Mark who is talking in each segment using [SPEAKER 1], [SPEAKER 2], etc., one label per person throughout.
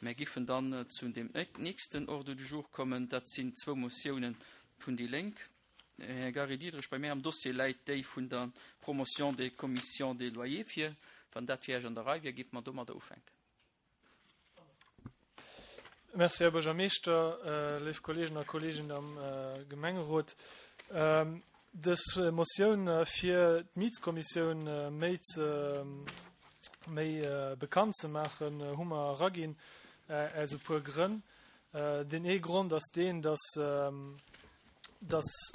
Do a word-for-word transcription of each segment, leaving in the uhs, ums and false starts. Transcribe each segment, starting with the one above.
[SPEAKER 1] Mär giffen dann zu dem nächsten Ordre du jour kommen. Dat sinn zwou Motiounen vun déi Lénk. Här Gary Diderich, bei mär am Dossier läit déi vun der Promotion des commissions des loyers vir. Wann dat fir Iech an der Rei wier, giffe mer domadder ufänken.
[SPEAKER 2] Merci, Här Buergermeeschter, léif Kolleegen a Kolleeginnen am Gemengerot. Dës Motioun, fir d'Mietskommissioun méi ze méi bekannt ze maachen, hu mer eraginn aus e puer Grënn. Deen ee Grond ass deen, dass dass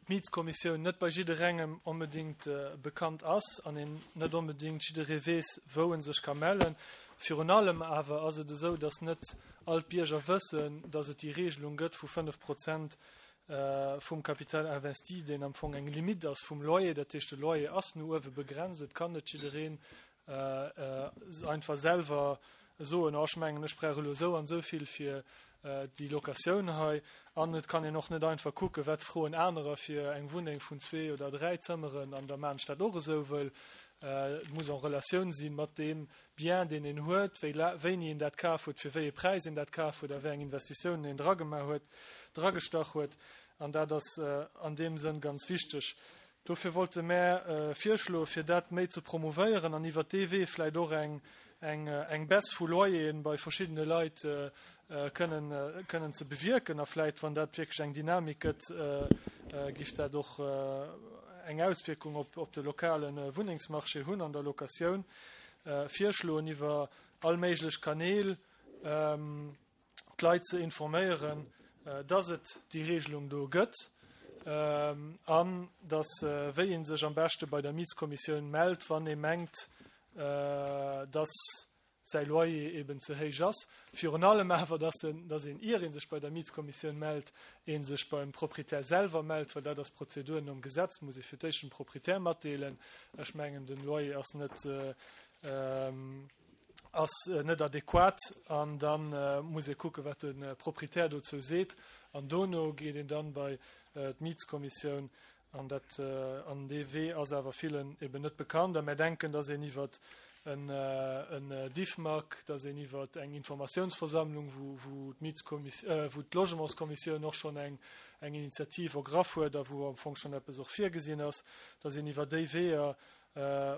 [SPEAKER 2] d'Mietskommissioun net bei jidderengem onbedéngt bekannt ass an een net onbedéngt jidderee weess, wou e sech ka mellen. Virun allem awer ass et esou, dass net all d'Bierger wëssen, dass et déi Regelung gëtt vu fënnef Prozent vum Capital investi, deen am Fong eng Limite ass vum Loyer. Dat heescht, de Loyer ass no uewe begrenzt. Et kann net jiddereen einfach selwer soen, oh, ech mengen, ech brauch elo esou an esou vill fir déi Locatioun hei. An et kann een och net einfach kucken, wat froen anerer fir eng Wunneng vun zwee oder dräi Zëmmeren an da maan ech dat och esou, wëll et muss en Relatioun si mat deem Bien, deen een huet, wéi wéini een dat kaf huet, fir wéi ee Präis een dat kaf huet a wéi eng Investitiounen een dragemaach huet, dragestach huet. An dat ass an deem Sënn ganz wichteg. Dofir wollte mär virschloen, fir dat méi ze promouvéieren an iwwert dee Wee vläicht och eng eng Baisse vu Loyeren bei verschiddene Leit kënnen kënnen ze bewierken. A vläicht, wann dat wierklech eng Dynamik gëtt, giff dat och eng Auswierkung op op de lokale Wunnengsmarché hunn an der Locatioun. Virschloen, iwwer all méiglech Kanäl d'Leit ze informéieren, dass et déi Regelung do gëtt an dass wéi ee sech am beschte bei der Mietskommissioun mellt, wann ee mengt, dass säi Loyer eben ze héich ass. Virun allem awer, dass en, dass een, ier ee sech bei der Mietskommissioun mellt, ee sech beim Proprietär selwer mellt, well dat ass d'Prozedur nom Gesetz, muss ee fir d'éischt dem Proprietär matdeelen, ech mengen, den Loyer ass net, ass net adequat, an da muss ee kucken, wat de Proprietär dozou seet, an dono geet een dann bei d'Mietskommissioun. An dat, an dee Wee ass awer villen eben net bekannt. A mär denken, dass een iwwer en, en Diffmag, dass een iwwer eng Informatiounsversammlung, wou, wou d'Mietskommiss, wou d'Logementskommissioun och schonn eng, eng Initiativ ergraff huet a wou am Fong schonn eppes och virgesinn ass, dass een iwwer déi Weeër,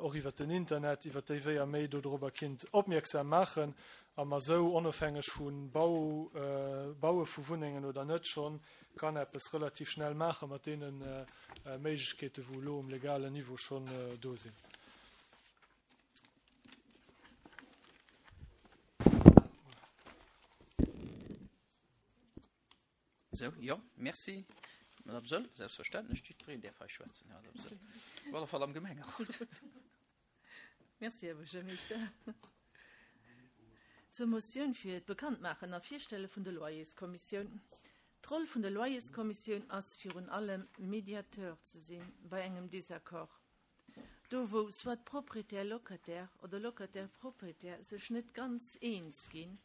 [SPEAKER 2] och iwwer den Internet, iwwer déi Weeër méi dodrobber kinnt opmierksam maachen a mer esou, onofhängeg vu Bau, Baue vu Wunnengen oder net, schonn kann eppes relativ schnell maache mat deene Méiglechkeeten, wou elo um legalen Niveau schonn do sinn.
[SPEAKER 1] Sou, jo, merci, Madame Söll. Selbstverständlech, jiddwereen däerf hei schwätzen, Madame Söll. Op alle Fall am Gemengerot.
[SPEAKER 3] Merci, Här Buergermeeschter. Zur Motioun fir d'Bekanntmaachen a Virstelle vun der Loyerskommissioun. D'Roll vun der Loyerskommissioun ass virun allem Mediateur ze sinn bei engem Désaccord. Do wou soit Propriétaire-Locataire oder Locataire-Propriétaire sech net ganz eens ginn.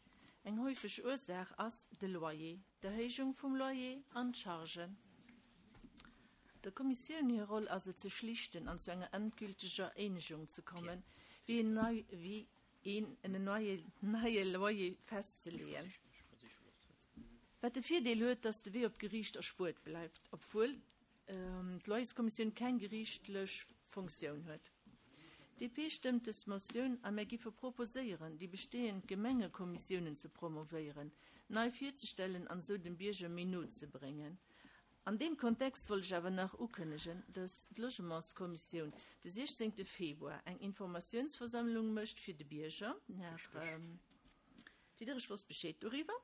[SPEAKER 3] Eng häufeg Ursaach ass de Loyer, d'Erhéijung vum Loyer an d'Chargen. Der Kommissioun hir Roll ass et ze schlichten an zu enger endgülteger Eenegung ze kommen, wéi een nei wéi een en neie Loyer festzeleeën. Wat de Virdeel huet, dass de Wee op d'Geriicht erspuert bleift, obwuel d'Loyerskommissioun keng geriichtlech Funktioun huet. D P stëmmt dës Motioun a mär giffe proposéieren, déi bestehend Gemengekommissiounen ze promovéieren, nei virzestellen an esou dem Bierger méi no ze bréngen. An deem Kontext wollt ech awer nach ukënnegen, dass d'Logementskommissioun de siechzéngte Februar eng Informatiounsversammlung mécht fir de Bierger. Här Diderich wosst Bescheed doriwwer.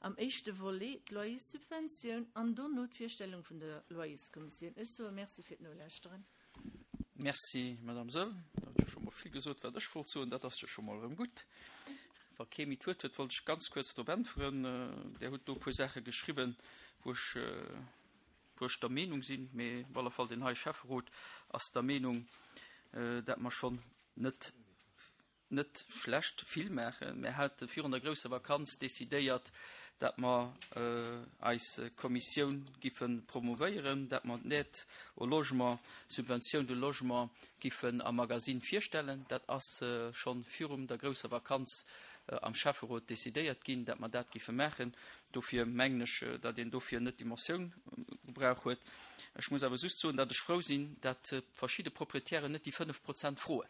[SPEAKER 3] Am éischte Volet d'Loyerssubventioun an dono d'Virstellung vun der Loyerskommissioun. Ech soe Merci fir d'Nolauschteren.
[SPEAKER 1] Merci, Madame Söll. Der hutt jo scho mol vill gesot, wat ech wollt soen. Dat ass jo scho mol erëm gutt. Wa kee méi d'Wuert huet, wollt ech ganz kuerz drop äntweren. Der hutt do e puer Saache geschriwwen, wou ech, wou ech der Meenung sinn, mee op alle Fall deen hei Schäfferot ass der Meenung, dat mer schonn net, net schlecht vill maachen. Mir hate virun der grousser Vakanz decidéiert, dat mer eis Kommissioun giffe promouvéieren, dat mer d'Aide au logement, Subvention de logement giffen am Magasinn virstellen. Dat ass schonn virum der grousser Vakanz am Schäfferot decidéiert ginn, dat mer dat giffe maachen. Dofir mengen ech, datt een dofir net déi Motioun gebrauch huet. Ech muss awer just soen, datt ech frou sinn, datt verschidde Proprietären net déi fënnef Prozent froen.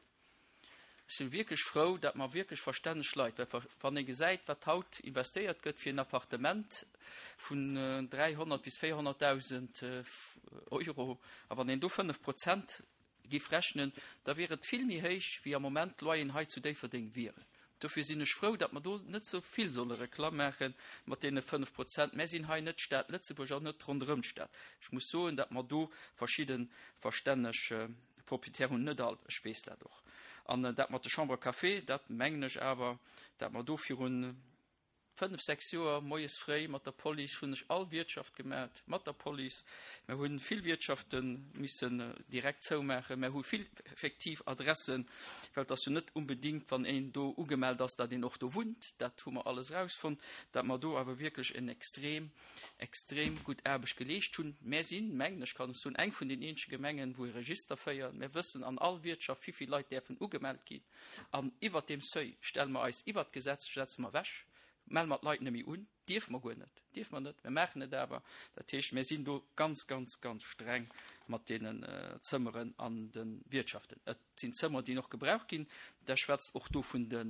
[SPEAKER 1] Ech si wierklech frou, datt mer wierklech verstänneg Leit, well wann ee gesäit, wat haut investéiert gëtt fir en Appartement vun dräihonnert bis véierhonnertdausend Euro, a wann een do fënnef Prozent giff rechnen, da wier et vill méi héich, wéi am Moment d'Loyeren hei zu Déifferdeng wieren. Dofir sinn ech frou, datt mer do net esou vill solle Reklamm maache mat deene fënnef Prozent. Mär sinn hei net d'Stad Lëtzebuerg an net ronderëm d'Stad. Ech muss soen, datt mer do verschidde verstänneg Propriétaire hunn, net all, ech weess dat och. An dat mat de Chambres à café, dat mengen ech awer, datt mer do virun fënnef, sechs Joer moies fréi mat der Police hunn ech all Wiertschaft gemat, mat der Police. Mer hunn vill Wiertschafte missen direkt zoumaachen. Mer hu vill effektiv Adressen, well et ass jo net unbedingt, wann een do ugemellt ass, datt een och do wunnt. Dat hu mer alles erausfonnt, datt mer do awer wierklech en extrem, extrem gutt Aarbecht geleescht hunn. Mär sinn, mengen ech kann ech soen, eng vun den eenzege Gemengen, wou e Register féieren. Mär wëssen an all Wiertschaft, wéi vill Leit däerfen ugemellt ginn. An iwwert deem Seuil stelle mer eis iwwert d'Gesetz, setze mer ewech. Melle mer d'Leit net méi un? Dierfe mer guer net. Dierfe mer net. Mer maachen et awer. Dat heescht, mir sinn do ganz, ganz, ganz streng mat deenen Zëmmeren an de Wiertschaften. Et sinn Zëmmer, déi och gebraucht ginn. Der schwätzt och do vun de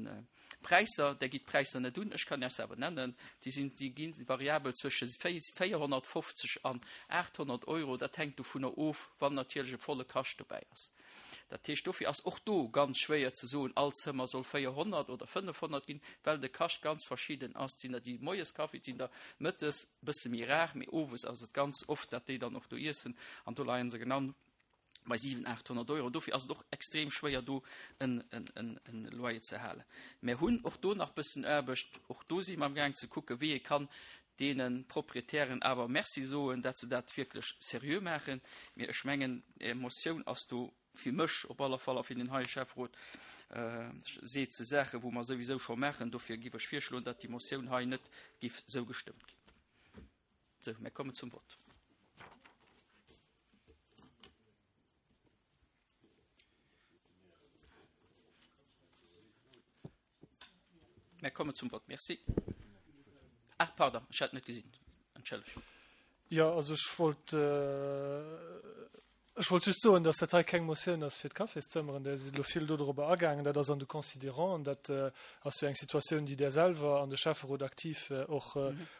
[SPEAKER 1] Präisser. Der gitt d'Präisser net un. Ech kann Iech se awer nennen. Déi sinn, déi gi variabel zwësche véierhonnertfofzeg an aathonnert Euro. Dat hänkt dovunner of, wann natierlech e volle Kascht dobäi ass. Dat heescht, dofir ass och do ganz schwéier ze soen, all Zëmmer soll véierhonnert oder fënnefhonnert ginn, well de Kascht ganz verschidden ass. Et sinn der, déi moies Kaffi, et sinn der mëttes e bësse méi rar, mee owes ass et ganz oft, datt déi dann och do iessen an do leie se genau bei siwen, aathonnert Euro. Dofir ass et och extrem schwéier, do en Loyer ze halen. Mir hunn och do nach bëssen Aarbecht. Och do si mer amgaang ze kucken, wéi ee kann deene Proprietären awer Merci soen, datt se dat wierklech seriö maachen. Mee ech mengen, Är Motioun ass do fir mech op alle Fall a fir den heie Schäfferot seet se Saachen, wou mer souwisou scho maachen. Dofir giff ech virschloen, datt déi Motioun hei net giff sou gestëmmt ginn. Sou, mir kommen zum Vott. Mir kommen zum Vott. Merci. Ah, pardon, ech hat net gesinn. Entschëllegt.
[SPEAKER 2] Jo, also ech wollt, ech wollt just soen, dass dat hei keng Motioun ass fir d'Cafészëmmeren. Der sidd elo vill dodrobber agaangen. Dat ass an de Considéranten. Dat ass jo eng Situatioun, déi Der selwer an de Schäfferot aktiv och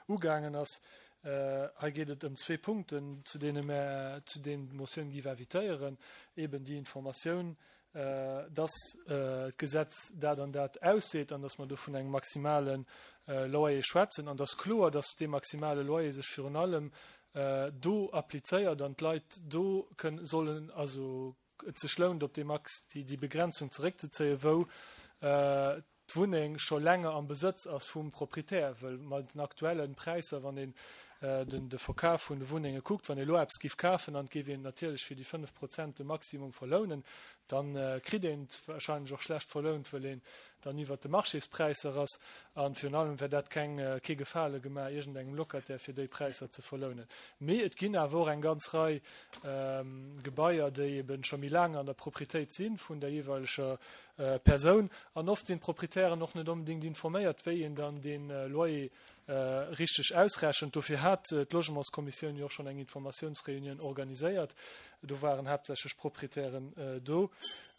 [SPEAKER 2] ugaangen ass. Hei geet et ëm zwee Punkten, zu deene mär, zu deenen d'Motioun géif invitéieren, eben déi Informatioun, dass d'Gesetz dat an dat ausseet an dass mer do vun engem maximale Loyer schwätzen an dass kloer, dass dee maximale Loyer sech virun allem do applizéiert an d'Leit do kënnen sollen, also et sech lount, op dee Max, déi Begrenzung zeréckzezéien, wou d'Wunneng scho länger am Besëtz ass vum Proprietär, wëll mat den aktuellen Präisser, wann een den de Verkaf vun de Wunnenge kuckt, wann ee lo eppes giff kafen an et géif een natierlech fir déi fënnef Prozent de Maximum verlounen, dann kritt een et wahrscheinlech och schlecht verlount, wëll een dann iwwert de Marchéspräisser ass. An virun allem wär dat keng kee Gefale gemaach iergendengem Locataire fir déi Präisser ze verlounen. Mee et ginn awer och eng ganz Rei Gebaier, déi eben scho méi laang an der Proprietéit si vun der jeeweileger Persoun. An oft sinn d'Proprietären och net onbedéngt informéiert, wéi een dann dee Loyer richteg ausrechent. Dofir hat d'Logementskommissioun jo och schonn eng Informatiounsreunioun organiséiert. Do waren haaptsächlech Proprietären do,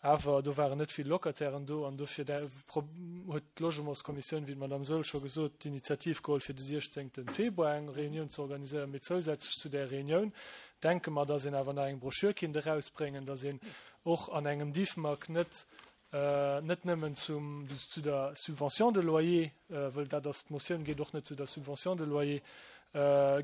[SPEAKER 2] awer do waren net vill Locatairen do. An dofir huet d'Logementskommissioun, wéi d'Madame Saeul scho gesot, d'Initiativ geholl, fir de siechzéngte Februar eng Reunioun ze organiséieren. Mee zousätzlech zu där Reunioun denke mer, dass een awer nach eng Broschür kinnt erausbréngen, dass een och an engem Diffmag net net nëmmen zum, zu der Subvention de loyer, wëll dat ass, d'Motioun geet och net zu der Subvention de loyer,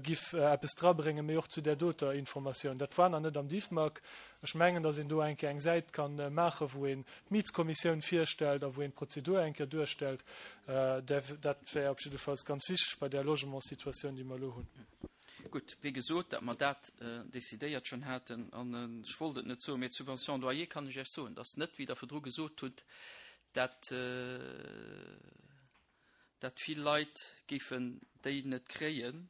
[SPEAKER 2] giff eppes drabréngen, mee och zu där doter Informatioun. Dat war nach net am Diffmag. Ech mengen, datt een do eng Kéier eng Säit ka maachen, wou een d'Mietskommissioun virstellt a wou een d'Prozedur eng Kéier duerstellt. Dat wär op jiddefalls ganz wichteg bei där Logementssituatioun, déi mer elo hunn.
[SPEAKER 1] Gutt, wéi gesot, datt mer dat decidéiert schonn haten, an ech wollt et net soen, mee d'Subvention loyer kann ech Iech soen, datt net, wéi Der virdru gesot hutt, datt, datt vill Leit géifen déi net kréien,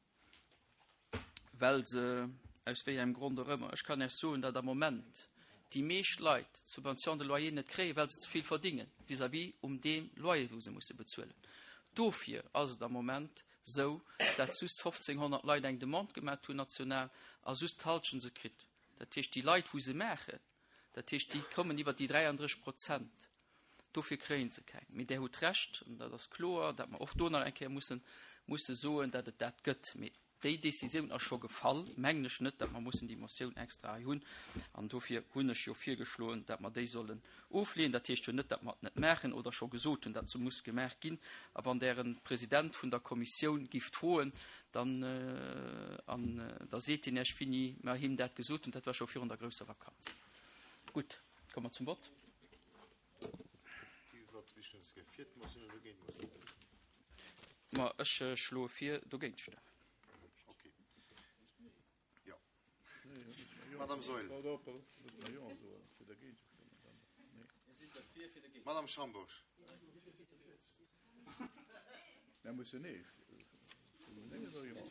[SPEAKER 1] well se, aus wéi engem Grond och ëmmer, ech kann Iech soen, datt am Moment déi meescht Leit d'Subvention de loyer net kréien, well se ze vill verdingen vis-à-vis um dee Loyer, wou se musse bezuelen. Dofir ass et am Moment sou, dat just fofzénghonnert Leit eng Demande gemat hunn national a just d'Halschent se kritt. Dat heescht, déi Leit, wou se maachen, dat heescht, déi kommen iwwer déi dräiandrësseg Prozent, dofir kréie se keng. Mee Där hutt Recht, an dat ass kloer, dat mer och do nach eng Kéier mussen, musse soen, dat et dat gëtt. Mee déi Décisioun ass scho gefall, mengen ech net, datt mer mussen déi Motioun extra hei hunn. An dofir hunn ech jo virgeschloen, datt mer déi sollen ofleenen. Dat heescht jo net, datt mer et net maachen oder scho gesot hunn, datt se muss gemaach ginn. A wann Der de President vun der Kommissioun gifft froen, dann, an da seet hien Iech, wéini mer him dat gesot hunn. Dat war scho virun der grousser Vakanz. Gutt, komme mer zum Vott. Ma ech schloe vir, dogéint ze stëmmen.
[SPEAKER 4] Madame Saeul. Madame Schambourg.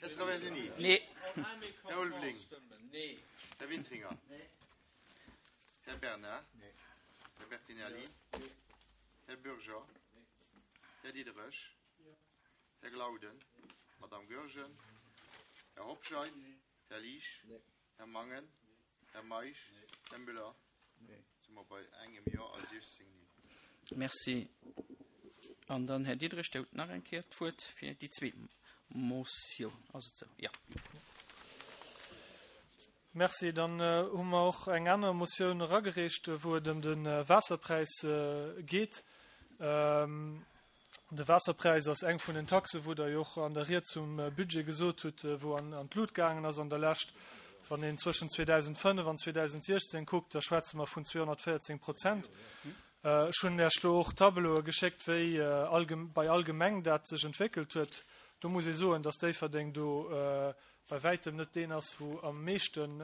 [SPEAKER 4] Här Traversini.
[SPEAKER 1] Nee.
[SPEAKER 4] Här Ulveling. Här Wintringer. Här Bernard. Här Bertinelli. Här Bürger. Här Diderich. Här Glauden. Madame Goergen. Här Hobscheit. Här Liesch. Här Mangen. Här Meisch. Här Müller. Si mer bei engem Jo a siechzéng Neen.
[SPEAKER 1] Merci. An dann Här Diderich, der huet nach eng Kéier d'Wuert fir déi zweet Motioun. Ass et esou? Jo.
[SPEAKER 2] Merci. Dann hu mer och eng aner Motioun eragereecht, wou et ëm de Waasserpräis geet. De Waasserpräis ass eng vun den Taxen, wou Der jo och an der Ried zum Budget gesot hutt, wou an d'Lut gaangen ass an der Lescht. Wann een zwëschen zweedausendfënnef an zweedausendsiechzéng kuckt, da schwätze mer vun zweehonnertvéierzéng Prozent. Ech hunn Iech do och Tableaue geschéckt, wéi bei all Gemeng dat sech entwéckelt huet. Do muss ee soen, dass Déifferdeng do bei wäitem net deen ass, wou am meeschten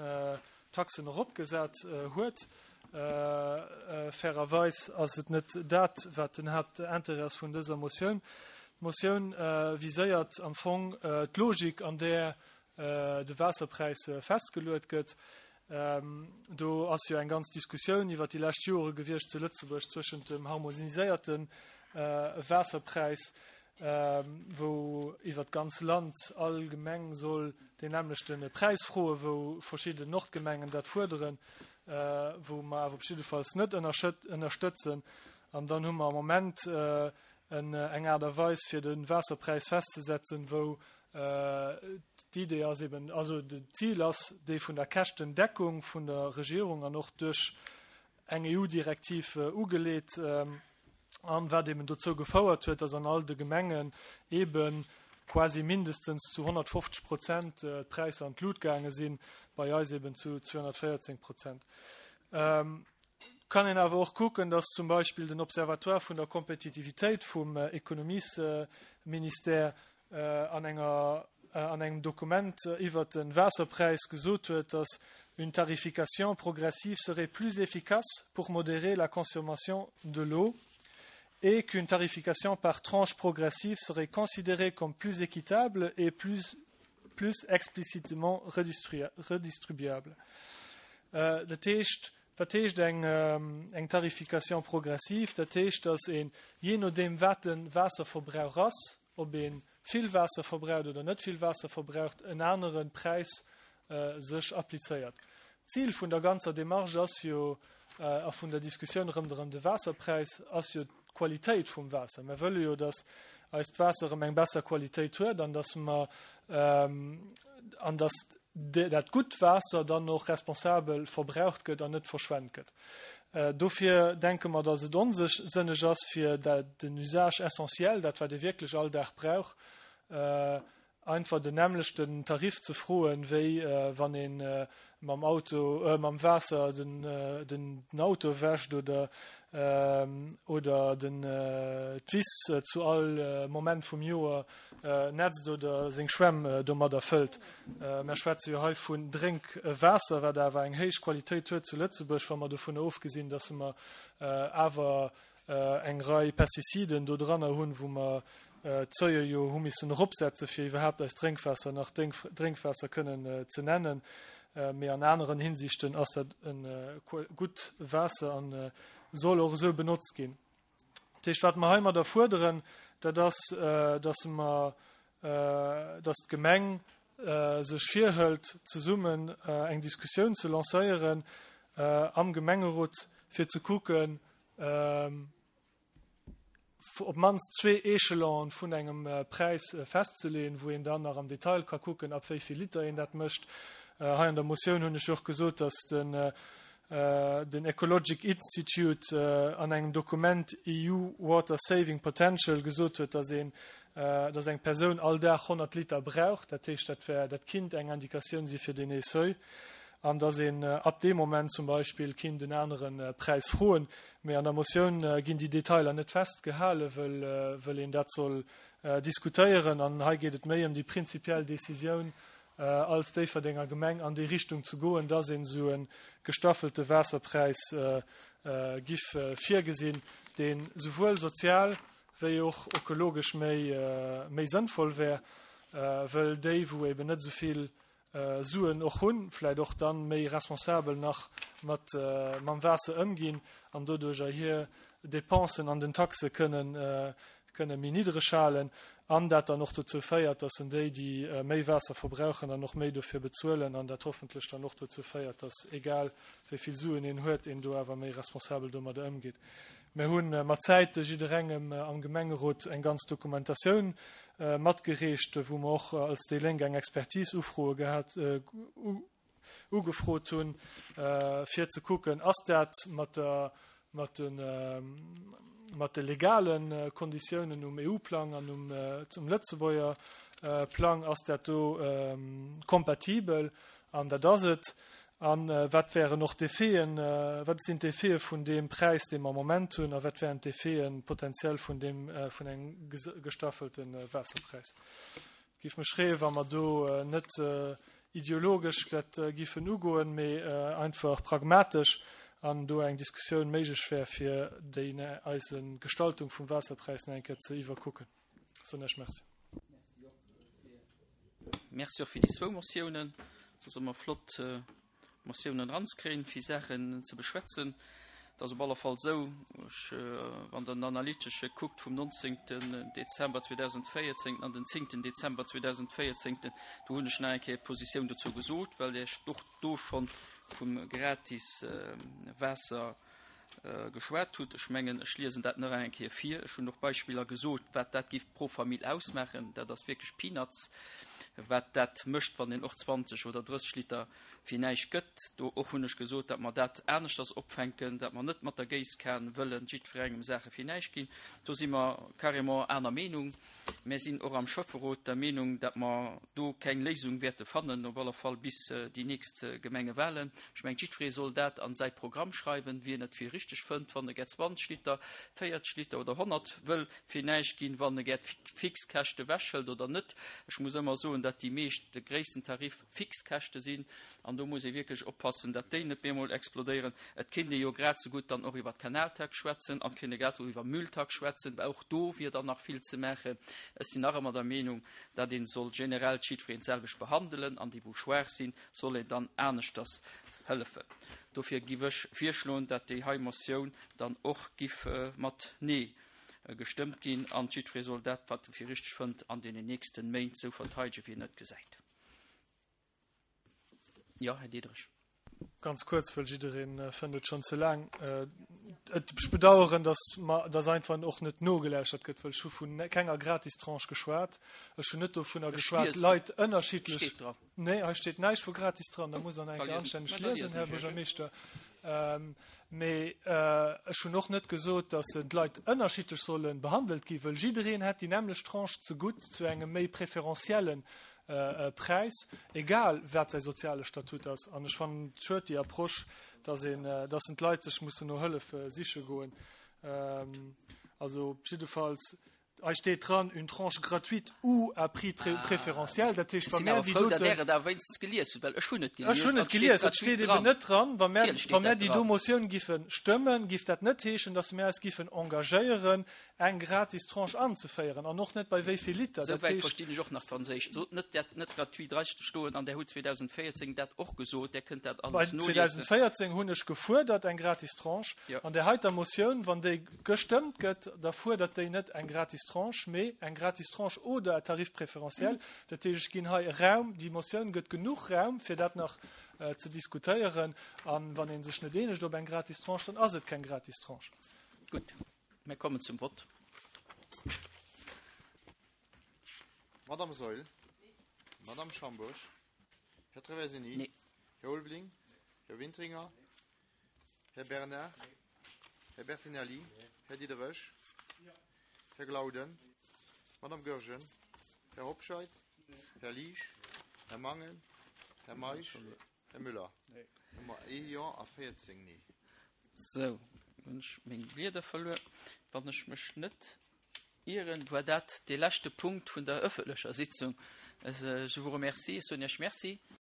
[SPEAKER 2] Taxen eropgesat huet. Fairerweis ass et net dat, wat den Haaptintérêt ass vun dëser Motioun. D'Motioun viséiert am Fong d'Logik, an där de Waasserpräis festgeluet gëtt. Do ass jo eng ganz Diskussioun iwwert déi lescht Jore gewiescht zu Lëtzebuerg zwëschent dem harmoniséierte Waasserpräis, wou iwwert d'ganz Land all Gemeng soll deen nämmlechte Präis froen, wou verschidden Nordgemengen dat fuerderen, wou mer awer op jiddefalls net ënnerstëtzen. An dann hu mer am Moment eng Aart a Weis, fir de Waasserpräis festzesetzen, wou d'Idee ass eben, also d'Zil ass déi vun der Käschtendeckung vun der Regierung an och duerch eng E U-Direktiv ugeleet, an wat eben dozou gefouert huet, dass an all de Gemengen eben quasi mindestens zu honnertfofzeg Prozent d'Präisser an d'Lut gaange sinn, bei eis eben zu zweehonnertvéierzéng Prozent. Kann een awer och kucken, dass zum Beispill den Observatoire vun der Kompetitivitéit vum Ekonomiesministère an enger, an engem Dokument iwwert de Waasserpräis gesot huet, dass une tarification progressive serait plus efficace pour modérer la consommation de l'eau et qu'une tarification par tranche progressive serait considérée comme plus équitable et plus, plus explicitement redistribuable. Dat heescht, wat heescht eng, eng Tarification progressive? Dat heescht, dass een, jee nodeem wat de Waasserverbrauch ass, ob een vill Waasser verbraucht oder net vill Waasser verbraucht, en anere Präis sech applizéiert. D'Zil vun der ganzer Démarche ass jo, a vun der Diskussioun rëmderëm de Waasserpräis, ass jo d'Qualitéit vum Waasser. Mir wëlle jo, dass eist Waasser erëm eng besser Qualitéit huet an dass mer, an dass dat gutt Waasser dann och responsabel verbraucht gëtt an net verschwent gëtt. Dofir denke mer, dass et onsënneg ass, fir den Usage essentiel, dat wat ee wierklech all Dag brauch, einfach den nämmlechten Tarif ze froen, wéi wann ee mam Auto, mam Waasser den, den Auto wäscht oder, oder den, d'Wiss zu all Moment vum Joer netzt oder seng Schwämm domadder fëllt. Mer schwätze jo hei vun Drénkwaasser, wat awer eng héich Qualitéit huet zu Lëtzebuerg, wa mer dovunner ofgesinn, dass mer awer eng Rei Pestiziden do dranner hunn, wou mer d'Seuil jo hu missen eropsetzen, fir iwwerhaapt eist Drénkwaasser nach Drénkwaasser kënnen ze nennen. Mee an aneren Hinsichten ass dat e gutt Waasser a soll och esou benotzt ginn. Dat heescht, wat mer heimadder fuerderen, dat ass, dass mer, dass d'Gemeng sech virhëlt, zesummen eng Diskussioun ze lancéieren am Gemengerot, fir ze kucken, op d'mannst zwee Echelone vun engem Präis festzeleeën, wou een dann nach am Detail ka kucken, ab wéi vill Liter een dat mécht. Hei an der Motioun hunn ech och gesot, dass den den Ecologic Institute an engem Dokument E U Water Saving Potential gesot huet, dass een, dass eng Persoun all Dag honnert Liter brauch. Dat heescht, dat wär, dat kinnt eng Indikatioun si fir deen Seuil. An dass een ab deem Moment zum Beispill kinnt en anere Präis froen. Mee an der Motioun ginn déi Detailer net festgehalen, wëll, wëll een dat soll diskutéieren. An hei geet et méi ëm déi prinzipiell Decisioun, als Déifferdenger Gemeng an déi Richtung ze goen, dass een esou e gestaffelte Waasserpräis giff virgesinn, deen souwuel sozial wéi och ökologesch méi, méi sënnvoll wär, wëll déi, wou eben net esou vill Suen och hunn, vläicht och dann méi responsabel nach mat, mam Waasser ëmginn an doduercher hir Dépensen an den Taxe kënnen, kënne méi niddreg halen an dat dann och dozou féiert, dass en déi, déi méi Waasser verbrauchen, dann och méi dofir bezuelen an dat hoffentlech dann och dozou féiert, dass egal wéi vill Suen een huet, een do awer méi responsabel domadder ëmgeet. Mir hunn mat Zäite jidderengem am Gemengerot eng ganz Dokumentatioun matgereecht, wou mer och als déi Lénk eng Expertise ufroe gehat, ugefrot hunn, fir ze kucken, ass dat mat der, mat den, mat de legalen Konditiounen um E U-Plang an um, zum Lëtzebuerger Plang, ass dat do kompatibel? An dat ass et. An wat wären och d'Effeten, wat sinn d'Effete vun deem Präis, dee mer am Moment hunn, a wat wären d'Effeten potenziell vun deem, vun engem gestaffelte Waasserpräis? Giff mech freeën, wa mer do net ideologesch dat giffen ugoen, mee einfach pragmatesch an do eng Diskussioun méiglech wär, fir déi eise Gestaltung vum Waasserpräis nach eng Kéier ze iwwerkucken. Soen ech Merci.
[SPEAKER 1] Merci och fir déi zwou Motiounen. Et ass ëmmer flott, Motiounen eranzekréien, fir Saachen ze beschwätzen. Et ass op alle Fall esou, ech, wann Der den Analytesche kuckt vum neunzehnten Dezember zweitausendvéierzéng an den zehnten Dezember zweitausendvéierzéng, do hunn ech nach eng Kéier d'Positioun dozou gesot, well ech och do schonn vum gratis Waasser geschwat hutt. Ech mengen, ech liesen dat nach eng Kéier vir. Ech hunn och Beispiller gesot, wat dat giff pro Famill ausmaachen. Dat ass wierklech Peanuts, wat dat mécht, wann een och zwanzeg oder drësseg Liter fir näischt gëtt. Do och hunn ech gesot, datt mer dat aneschters opfänken, datt mer net mat der Géisskan wëllen jiddwerengem Saache fir näischt ginn. Do si mer carrément aner Meenung. Mir sinn och am Schäfferot der Meenung, datt mer do keng Léisung wäerte fannen, op alle Fall bis déi nächst Gemengewahlen. Ech mengen, jiddweree soll dat an säi Programm schreiwen, wien et fir richteg fënnt, wann e gär zwanzeg Liter, véierzeg Liter oder honnert wëll fir näischt ginn, wann e gär d'Fixkäschte wechhëlt oder net. Ech muss ëmmer soen, datt déi meescht de gréissten Tarif Fixkäschte sinn an do muss ee wierklech oppassen, datt déi net bemol explodéieren. Et kéint ee jo grad sou gutt dann och iwwer d'Kanaltax schwätzen an kéint ee grad sou iwwer Mülltax schwätzen, well och do wier dann nach vill ze maachen. Ech sinn nach ëmmer der Meenung, datt een soll generell jiddwereen d'selwecht behandelen an déi, wou schwaach sinn, soll een dann aneschters hëllefen. Dofir giff ech virschloen, datt déi hei Motioun dann och giff mat Nee gestëmmt ginn an jiddweree soll dat, wat e fir richteg fënnt, an deenen nächsten Méint sou verteidegen, wéi en et gesäit. Ja, Här Diederich.
[SPEAKER 2] Ganz kuerz, well jiddereen fënnt et schonn ze laang. Et, ech bedauern, dass ma, dass einfach och net nogeläuschert gëtt, well ech hu vun kenger Gratistranche geschwat. Ech hunn net dovunner
[SPEAKER 1] Ech
[SPEAKER 2] geschwat,
[SPEAKER 1] liesen.
[SPEAKER 2] Leit ënnerschiddlech
[SPEAKER 1] Steet dran.
[SPEAKER 2] Nee, hei steet näischt vu gratis dran, da muss an eng
[SPEAKER 1] Da liesen.
[SPEAKER 2] anstänneg
[SPEAKER 1] Na, da
[SPEAKER 2] liesen,
[SPEAKER 1] liesen
[SPEAKER 2] Här
[SPEAKER 1] ech, ja.
[SPEAKER 2] Buergermeeschter. Ähm, mee, äh, ech hunn och net gesot, dass d'Leit ënnerschiddlech sollen behandelt ginn, well jiddereen hätt déi nämlech Tranche zegutt zu engem méi preferentiellen, äh, äh, Präis, egal wat säi soziale Statut ass. An ech fannen et schued, déi Approche, dass een, äh, dass d'Leit sech mussen no Hëllef, äh, siche goen. Ähm, also jiddefalls Hei steet dran, une tranche gratuite ou à prix très préférentiel. Dat heescht,
[SPEAKER 1] Ech
[SPEAKER 2] wa
[SPEAKER 1] sinn
[SPEAKER 2] mär
[SPEAKER 1] awer
[SPEAKER 2] déi
[SPEAKER 1] frou, datt
[SPEAKER 2] doten
[SPEAKER 1] Där et awer wéinstens gelies hutt, well ech hunn et
[SPEAKER 2] Ech
[SPEAKER 1] gelies
[SPEAKER 2] hunn
[SPEAKER 1] an
[SPEAKER 2] et
[SPEAKER 1] et steet
[SPEAKER 2] gelies, et
[SPEAKER 1] gratuit
[SPEAKER 2] steet eben
[SPEAKER 1] dran.
[SPEAKER 2] net dran. Wa mär,
[SPEAKER 1] Natierlech steet
[SPEAKER 2] wa mär
[SPEAKER 1] dat
[SPEAKER 2] déi do
[SPEAKER 1] dran.
[SPEAKER 2] Motioun giffe stëmmen, giff dat net heeschen, datt mär eis giffen engagéieren, eng gratis Tranche anzeféieren an och net bei wéi vill Liter. Dat
[SPEAKER 1] Souwäit
[SPEAKER 2] heescht
[SPEAKER 1] verstinn ech och nach Franséisch. Sot net, dat net gratuit dra stoen an Där hutt zweedausendvéierzéng dat och gesot, Där kënnt dat
[SPEAKER 2] Bei
[SPEAKER 1] alles noliesen.
[SPEAKER 2] zweedausendvéierzéng hunn ech gefuerdert eng gratis Tranche.
[SPEAKER 1] Jo.
[SPEAKER 2] An där heiter Motioun, wann déi gestëmmt gëtt, da fuerdert déi net eng gratis Tranche, mee eng gratis Tranche oder à tarif préférentiel. Dat heescht, ech ginn hei Raum, déi Motioun gëtt genuch Raum, fir dat nach ze diskutéieren. An wann ee sech net eenegt op eng gratis Tranche, dann ass et keng gratis Tranche.
[SPEAKER 1] Gutt, mir kommen zum Vott.
[SPEAKER 4] Madame Saeul. Madame Schambourg. Här Traversini.
[SPEAKER 1] Nee.
[SPEAKER 4] Här Ulveling. Här Wintringer. Här Bernard. Här Bertinelli. Här Diderich. Här Glauden. Madame Goergen. Här Hobscheit. Här Liesch. Här Mangen. Här Meisch. Här Müller. Hu mer ee Jo a véierzéng Nee.
[SPEAKER 1] Sou, hunn ech meng Blieder verluer. Wann ech mech net ieren, war dat dee leschte Punkt vun der ëffentlecher Sitzung. Je vous remercie, soen Iech Merci.